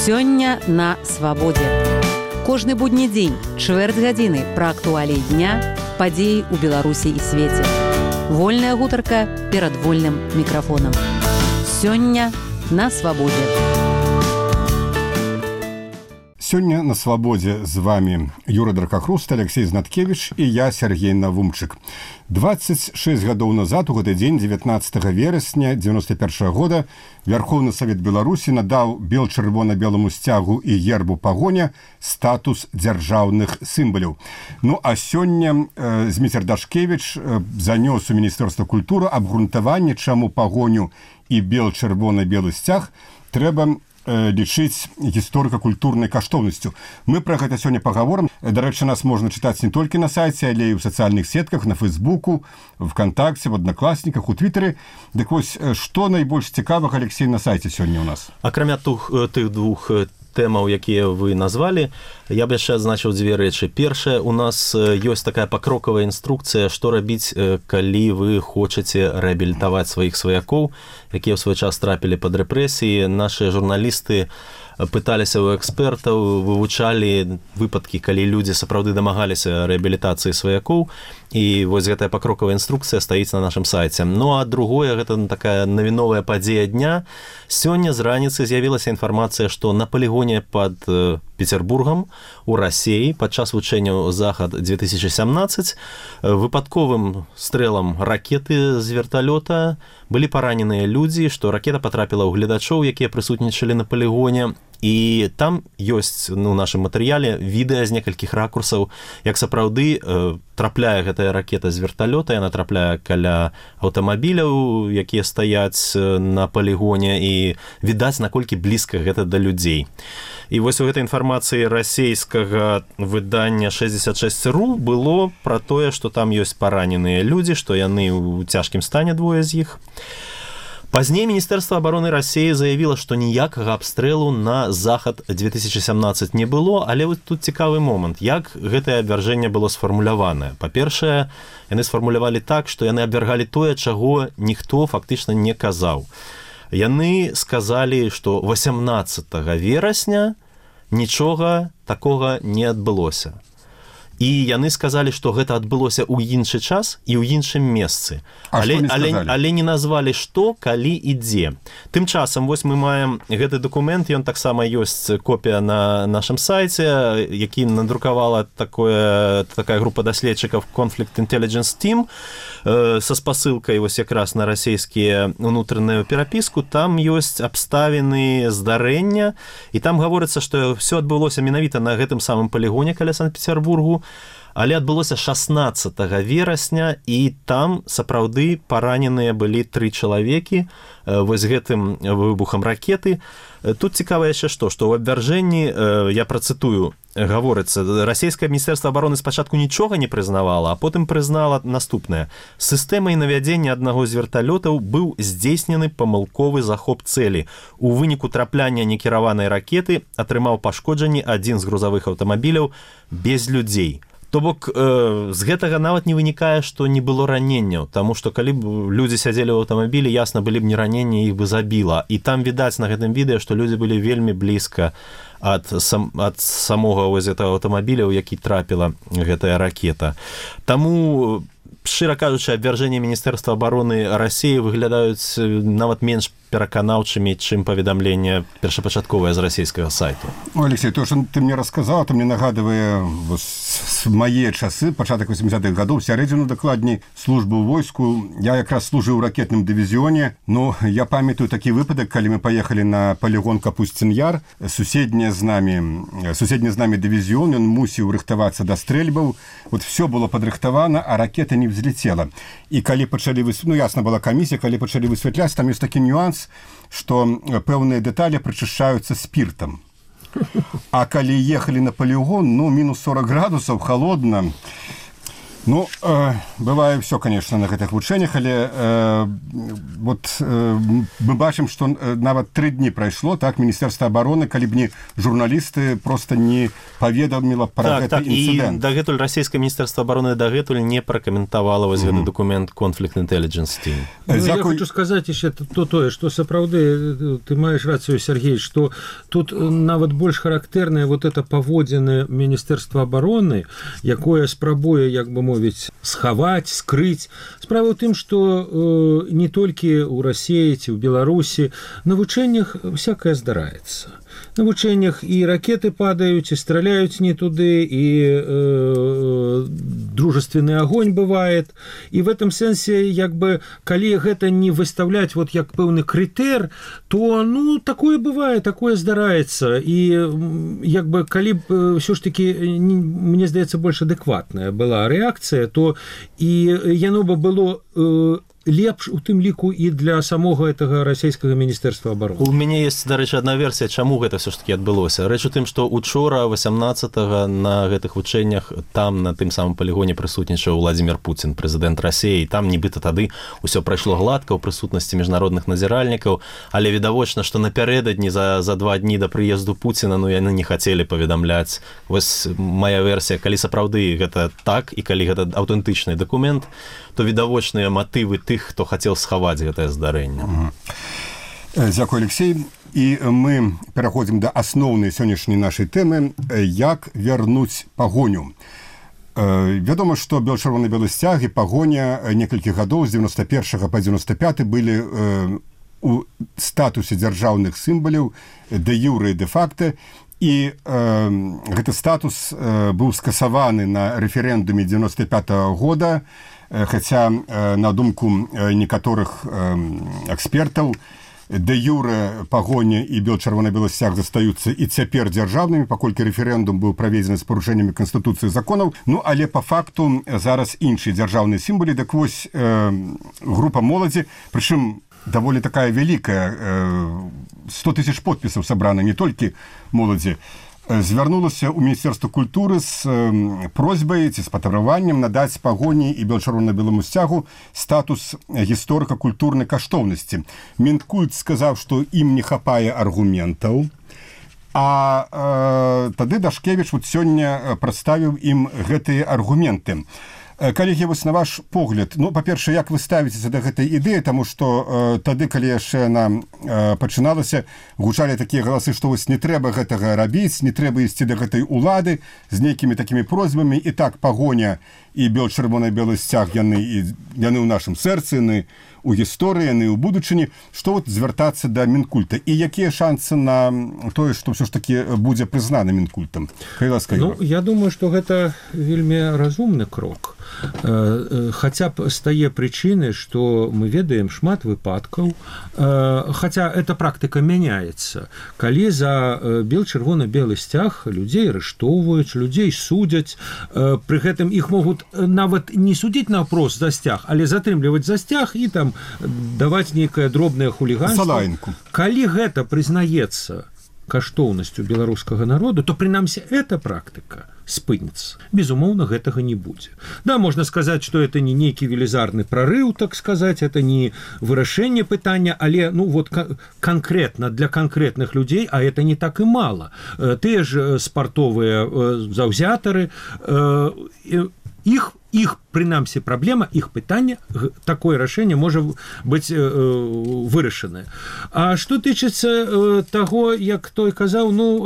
Сёння на свабодзе. Кожны будні дзень, чвэрць гадзіны пра актуаліі дня, падзеі ў Беларусі і свеце. Вольная гутарка перад вольным мікрафонам. Сёння на свабодзе. Сёння на свабодзе з вами Юра Дракахруст, Алексей Знаткевич і я, Сергей Навумчык. 26 гадоў назад, у гэты дзень, 19 верасня 91 года, Верховны Савет Беларусі надаў бел-чырвона-беламу сцягу і гербу пагоня статус дзяржаўных сімваляў. Ну, а сёння Зміцер Дашкевіч занёс у Міністэрства культуры абгрунтаванне, чаму пагоню і бел-чырвона-белы сцяг трэба лічыць гісторыка-культурнай каштоўнасцю. Мы пра гэта сёння пагаворым. Дарэчы, нас можна чытаць не толькі на сайце, але і ў сацыяльных сетках, на Фейсбуку, ВКонтакце, в Аднакласніках, у Твітары. Дык вось, што найбольш цікавага, Алексей, на сайце сёння ў нас? Акрамя тых двух тэмаў, якія вы назвалі, я б яшчэ адзначыў дзве рэчы. Першае, у нас ёсць такая пакрокавая інструкцыя, што рабіць, калі вы хочаце рэабілітаваць сваіх сваякоў, якія ў свой час трапілі пад рэпрэсіі. Нашы журналісты пыталіся ў экспертаў, вывучалі выпадкі, калі людзі сапраўды дамагаліся рэабілітацыі сваякоў, і вось гэтая пакрокавая інструкцыя стаіць на нашым сайце. Ну, а другое, гэта такая навіновая падзея дня. Сёння з раніцы з'явілася інфармацыя, што на палігоне пад Петербургам у Расіі падчас вучэнняў «Захад-2017» выпадковым стрэлам ракеты з верталёта былі параненыя людзі, што ракета патрапіла ў гледачоў, якія прысутнічалі на палігоне. І там ёсць у нашым матэрыяле відэа з некалькіх ракурсаў, як сапраўды трапляе гэтая ракета з верталёта, яна трапляе каля аўтамабіляў, якія стаяць на палігоне, і відаць, наколькі блізка гэта да людзей. І вось у гэтай інфармацыі расейскага выдання 66.ru было пра тое, што там ёсць параненыя людзі, што яны ў цяжкім стане, двое з іх. Пазней Міністэрства абароны Расіі заявіла, што ніякага абстрэлу на Захад-2017 не было, але вот тут цікавы момант, як гэтае абвяржэнне было сфармуляванае. Па-першае, яны сфармулявалі так, што яны абвяргалі тое, чаго ніхто фактычна не казаў. Яны сказалі, што 18 верасня нічога такога не адбылося. І яны сказалі, што гэта адбылося ў іншы час і ў іншым месцы. Але не назвалі што, калі і дзе. Тым часам, вось мы маем гэты дакумент, ён таксама ёсць копія на нашым сайце, які надрукавала такая група даследчыкаў Conflict Intelligence Team са спасылкай вось якраз на расійскія унутраную перапіску. Там ёсць абставіны здарэння, і там гаворыцца, што ўсё адбылося менавіта на гэтым самым палігоне каля Санкт-Петербургу, але адбылося 16 верасня, і там сапраўды параненыя былі 3 чалавекі вось гэтым выбухам ракеты. Тут цікава яшчэ што ў абвяржэнні, я працытую, гаворыцца, расійскае міністэрства абароны спачатку нічога не прызнавала, а потым прызнала наступнае. Сістэмай навядзення аднаго з верталётаў быў здзейснены памылковы захоп цэлі. У выніку трапляння некіраванай ракеты атрымаў пашкоджанні адзін з грузавых аўтамабіляў без людзей. То бок, з гэтага нават не вынікае, што не было раненняў, таму што калі б людзі сядзелі ў аўтамабілі, ясна, былі б не раненні, іх бы забіла. І там відаць на гэтым відэа, што людзі былі вельмі блізка ад самога аўтамабіля, у які трапіла гэтая ракета. Таму, шчыра кажучы, абвяржэнні Міністэрства абароны Расіі выглядаюць нават менш пераканаўчымі, чым паведамленне першапачатковае з расійскага сайту. Алексей, то, што ты мне расказаў, то мне нагадывае мае часы, пачатак 80-х гадоў, сярэдзіну дакладней службы ў войску. Я якраз служыў у ракетным дывізіёне. Ну, я памятаю такі выпадак, калі мы паехалі на палігон Капусцін-Яр. Суседні з намі дывізіён, ён мусіў рыхтавацца да стрэльбаў. Вот все было падрыхтавана, а ракета не взлетела. І калі пачалі, ну, ясна была камісія, калі пачалі высвятляць, там ёсць такі нюанс, што пэўныя дэталі прачышчаюцца спіртам. А калі ехалі на палігон, ну, мінус 40 градусаў, холодна, Ну, бывае ўсё, конечно, на гэтых вучэннях, але мы бачым, што нават 3 дні прайшло, так, Міністэрства абароны, калі б не журналісты, просто не паведаміла пра гэты інцыдэнт. І дагэтуль расійскае Міністэрства абароны дагэтуль не пракаментавала вось гэты документ Conflict Intelligence Team. Я хочу сказаць яшчэ тое, што сапраўды, ты маеш рацыю, Сергей, што тут нават больш характэрнае вот это паводзіны Міністэрства абароны, якое спрабуе, як бы мовіць, схаваць, скрыць. Справа ў тым, што не толькі ў Расіі ці ў Беларусі на вучэннях всякае здараецца. На вучэннях і ракеты падаюць, і страляюць не туды, і дружественны агонь бывает. І в этом сэнсе, як бы, калі гэта не выставляць вот як пэўны крытэр, то, ну, такое бывае, такое здараецца. І, як бы, калі б ўсё ж такі, мне здаецца, больш адэкватная была рэакцыя, то і яно бы было лепш у тым ліку і для самога гэтага расійскага Міністэрства абароны. У мяне есть, дарэчы, адна версія, чаму гэта все ж таки адбылося. Рэч у тым, што учора 18-го на гэтых вучэннях там на тым самым полігоне прысутнічаў Владимир Путин, прэзідэнт Расіі, і там нібыта тады ўсё прайшло гладка ў прысутнасці міжнародных назіральнікаў, але відавочна, што напярэдадні за 2 дні да прыезду Пуціна, ну, яны не хацелі паведамляць. Вось моя версія, калі сапраўды гэта так, і калі гэта аўтэнтычны дакумент, то відавочныя матывы тых, хто хацеў схаваць гэтае здарэнне. Дзякуй, Алексей. І мы пераходзім да асноўнай сённяшняй нашай тэмы, як вярнуць пагоню. Вядома, што чырвона-белы сцяг і пагоня некалькі гадоў з 91 па 95 былі у статусе дзяржаўных сімваляў дэ-юрэ і дэ-факта, і гэты статус быў скасаваны на рэферэндуме 95-го года, хаця, на думку некаторых экспертаў, дэ-юрэ пагоня і чырвона-белы сцяг застаюцца і цяпер дзяржаўнымі, паколькі рэферэндум быў праведзены з парушэннямі Канстытуцыі законаў. Ну, але па факту зараз іншыя дзяржаўныя сімвалы, так вось група моладзі, прычым даволі такая вялікая, 100 000 подпісаў сабрана, не толькі моладзі, звярнулася ў Міністэрства культуры з просьбай ці з патрабаваннем надаць пагоні і чырвона-беламу сцягу статус гісторыка-культурнай каштоўнасці. Мінкульт сказаў, што ім не хапае аргументаў, а тады Дашкевіч вот сёння прадставіў ім гэтыя аргументы. Калегі, вось на ваш погляд, ну, па-перша, як вы ставіцеся да гэтай ідэі, таму што тады, калі яшчэ яна пачыналася, гучалі такія галасы, што вось не трэба гэтага рабіць, не трэба ісці да гэтай улады з нейкімі такімі просьбамі, і так пагоня і чырвона-белы сцяг, яны ў нашым сэрцы, яны у гісторыі, яны ў будучыні, што вот звяртацца да Мінкульта, і якія шансы на тое, што ўсё ж такі будзе прызнаны Мінкультам? Ну, я думаю, што гэта вельмі разумны крок. Хаця б з тае прычыны, што мы ведаем шмат выпадкаў, хаця эта практыка мяняецца. Калі за чырвона-белы сцяг людзей арыштоўваюць, людзей судзяць, пры гэтым іх могуць нават не судзіць наўпрост за сцяг, але затрымліваць за сцяг і там даваць нейкае дробнае хуліганство. Калі гэта прызнаецца каштоўнасцю беларускага народу, то прынамсі эта практыка спыніцца. Безумоўна, гэтага не будзе. Да, можна сказаць, што это не нейкі велізарны прарыў, так сказаць, это не вырашэнне пытання, але, ну, вот канкрэтна для канкрэтных людзей, а это не так і мала. Тыя ж спартовыя заўзятары, іх прынамсі праблема, іх пытанне, такое рашэнне можа быць вырашанае. А што тычыцца таго, як той казаў, ну,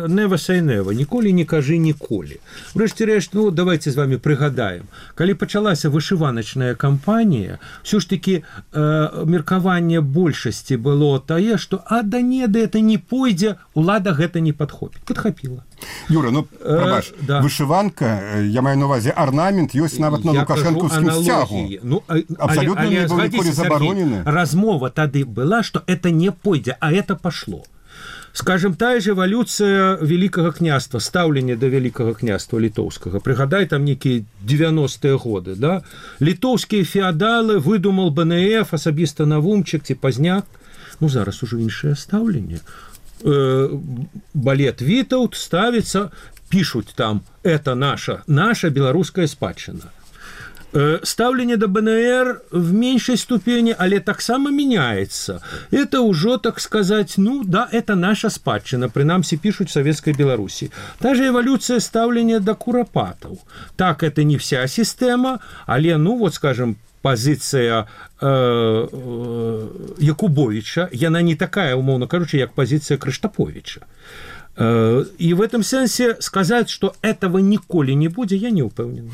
never say never, ніколі не кажы ніколі. Врэшце рэшт, ну, давайте з вами прыгадаем. Калі пачалася вышываначная кампанія, ўсё ж такі меркаванне большасці было тае, што да не, да это не пойдзе, улада гэта не падхапіла. Юра, ну, прабач, да. Вышыванка, я маю на увазе арнамент, ёсць нават на лукашэнкаўскім сцягу. Ну, абсолютно не был ніколі забаронены. Размова тады была, што это не пойдзе, а это пошло. Скажем, тая ж эвалюцыя Великага княства, стаўленне да Великага княства літоўскага. Прыгадай, там нейкія 90-е годы, да? Літоўскія феадалы выдумал БНФ, асабіста Навумчык ці Пазняк. Ну, зараз ужо іншае стаўленне. Балет Вітаўт ставіцца, пішуць там, это наша беларуская спадчына. Ставление до БНР в меньшей ступени, але таксама меняется. Это уже, так сказать, ну да, это наша спадчына, принамсі пишут в Советской Беларуси. Та же эволюция ставления до куропатов. Так, это не вся система, але, ну вот, скажем, позиция Якубовича, яна не такая, умовно кажучи, як позиция Крыштаповича. И в этом сенсе сказать, что этого николи не будет, я не упевнен.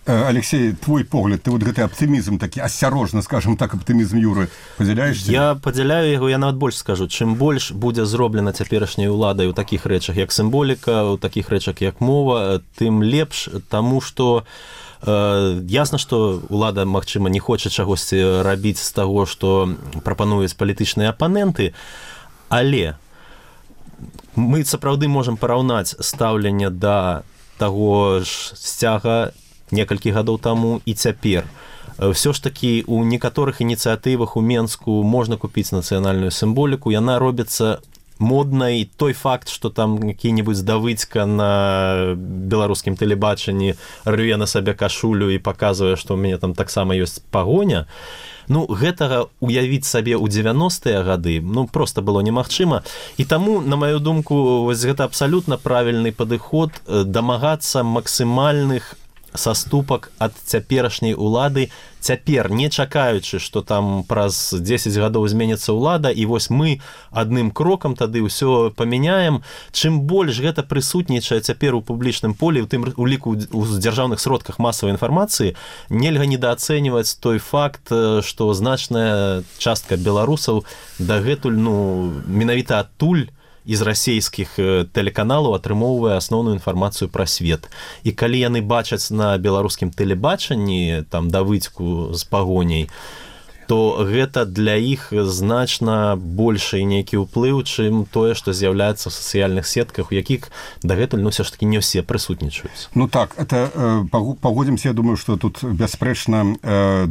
Алексей, твой погляд, ты вот гэты оптимизм такі, осторожно, скажем так, оптимизм Юры, падзяляешься? Я падзяляю яго, я нават больш скажу, чым больш будзе зроблена цяперашняй уладай у такіх рэчах, як сімволіка, у такіх рэчах, як мова, тым лепш, таму што ясна, што ўлада, магчыма, не хоча чагосьці рабіць з таго, што прапануюць палітычныя апаненты, але мы сапраўды можам параўнаць стаўленне да таго ж сцяга некалькі гадоў таму і цяпер. Всё ж такі у некаторых ініцыятывах у Менску можна купіць нацыянальную сімволіку, яна робіцца моднай. Той факт, што там які-небудзь Давыдзька на беларускім тэлебачанні рве на сабе кашулю і паказвае, што ў мяне там таксама ёсць пагоня, ну, гэтага уявіць сабе ў 90-е гады, ну, проста было немагчыма. І таму, на маю думку, вось гэта абсалютна правільны падыход дамагацца максімальных саступак ад цяперашняй улады, цяпер, не чакаючы, што там праз 10 гадоў зменіцца ўлада, і вось мы адным крокам тады ўсё памяняем. Чым больш гэта прысутнічае цяпер у публічным полі, у тым уліку у дзяржаўных сродках масавай інфармацыі, нельга недаацэньваць той факт, што значная частка беларусаў дагэтуль, ну, менавіта адтуль из расійскіх тэлеканалаў атрымоўвае асноўную інфармацыю пра свет. І калі яны бачаць на беларускім тэлебачанні там Давыдзьку з пагоняй, то гэта для іх значна большы нейкі ўплыў, чым тое, што з'яўляецца ў сацыяльных сетках, у якіх дагэтуль, ну, все ж таки не ўсе прысутнічаюць. Ну так, это погодзімся, я думаю, што тут бясспрэчна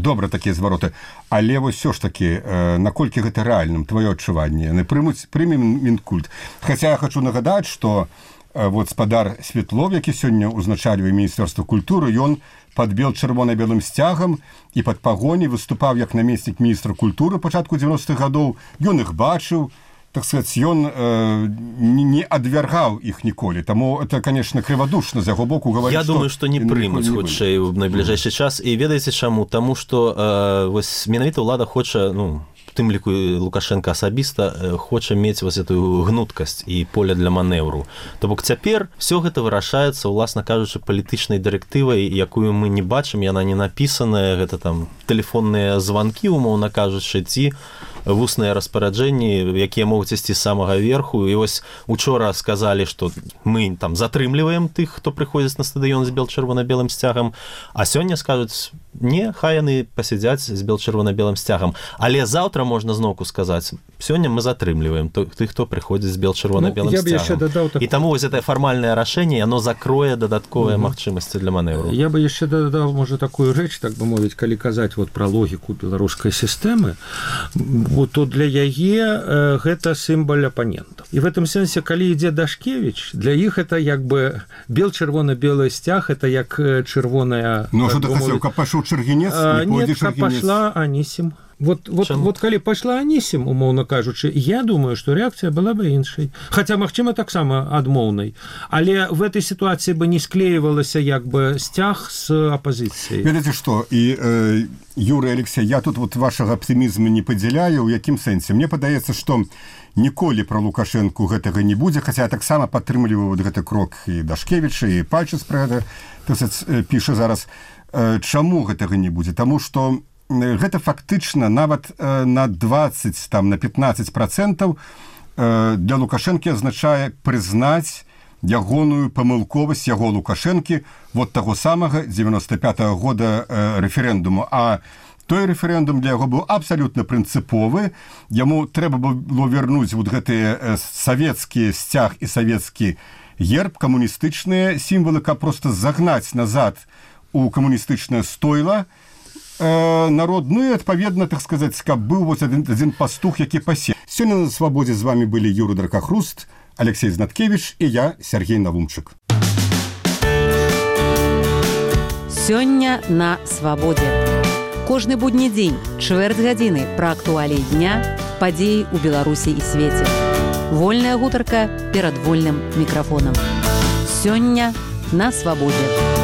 добра такія звароты. Але вось все ж таки, наколькі гэта рэальным, твоё адчуванне? Яны прымем Мінкульт. Хаця я хочу нагадаць, што вот спадар Светлов, які сёння узначальвае Міністэрства культуры, ён пад чырвона-белым сцягам і пад пагоняй выступаў як намеснік міністра культуры пачатку 90-х гадоў. Ён іх бачыў, так сказать, ён не адвяргаў іх ніколі. Таму это, конечно, крывадушна з яго боку гаварыць. Я думаю, што не прымуць хутчэй у найбліжэйшы час. І ведаеце чаму? Таму што вось менавіта ўлада хоча, ну, тым ліку Лукашенко асабіста хоча мець вось эту гнуткасць і поле для манеўру. То бок цяпер все гэта вырашаецца, уласна кажучы, палітычнай дырэктывай, якую мы не бачым, яна не напісаная, гэта там тэлефонныя званкі, умоўна кажучы, ці вусныя распараджэнні, якія могуць ісці з самага верху. І вось учора сказалі, што мы там затрымліваем тых, хто прыходзіць на стадыён з чырвона-белым сцягам, а сёння скажуць, не, хай яны пасядзяць з чырвона-белым сцягам. Але заўтра можна зноўку сказаць, сёння мы затрымліваем тых, хто прыходзіць з чырвона-белым сцягам. І таму вось гэта фармальнае рашэнне, яно закрое дадатковыя магчымасці для манеўру. Я бы яшчэ дадаў, можа, такую рэч, так бы мовіць, калі казаць вот пра логіку беларускай сістэмы, то для яе гэта сімвал апанентаў. І в этом сэнсе, калі ідзе Дашкевіч, для іх это як бы чырвона-белы сцяг, это як чырвоная... Ну, што ты хацеў, каб пайшоў Чыргінец? Нет, каб пайшла Анісім. Вот калі пайшла Анісім, умоўна кажучы, я думаю, што рэакцыя была бы іншай. Хаця, магчыма, таксама адмоўнай. Але в этой сітуацыі бы не склеівалася як бы сцяг з апазіцыяй. Ведаеце што, і Юрий, Алексей, я тут вот вашага аптымізму не падзяляю, у якім сэнсе. Мне падаецца, што ніколі пра Лукашэнку гэтага не будзе, хаця я таксама падтрымліваю вот гэты крок і Дашкевіча, і Пальчыц пра гэта піша зараз. Чаму гэтага не будзе? Таму што гэта фактычна нават на 20, там, на 15% для Лукашэнкі азначае прызнаць ягоную памылковасць яго Лукашэнкі вот таго самага 95-го года рэферэндуму. А той рэферэндум для яго быў абсалютна прынцыповы. Яму трэба было вярнуць вот гэтыя савецкі сцяг і савецкі герб, камуністычныя сімвалы, каб проста загнаць назад у камуністычнае стойла народ, ну і адпаведна, так сказаць, каб быў вось адзін пастух, які пасе. Сёння на Свабодзе з вами былі Юрий Дракахруст, Алексей Знаткевич і я, Сергей Навумчык. Сёння на свабодзе. Кожны будні дзень, чвэрць гадзіны пра актуаліі дня, падзеі ў Беларусі і свеце. Вольная гутарка перад вольным мікрафонам. Сёння на свабодзе.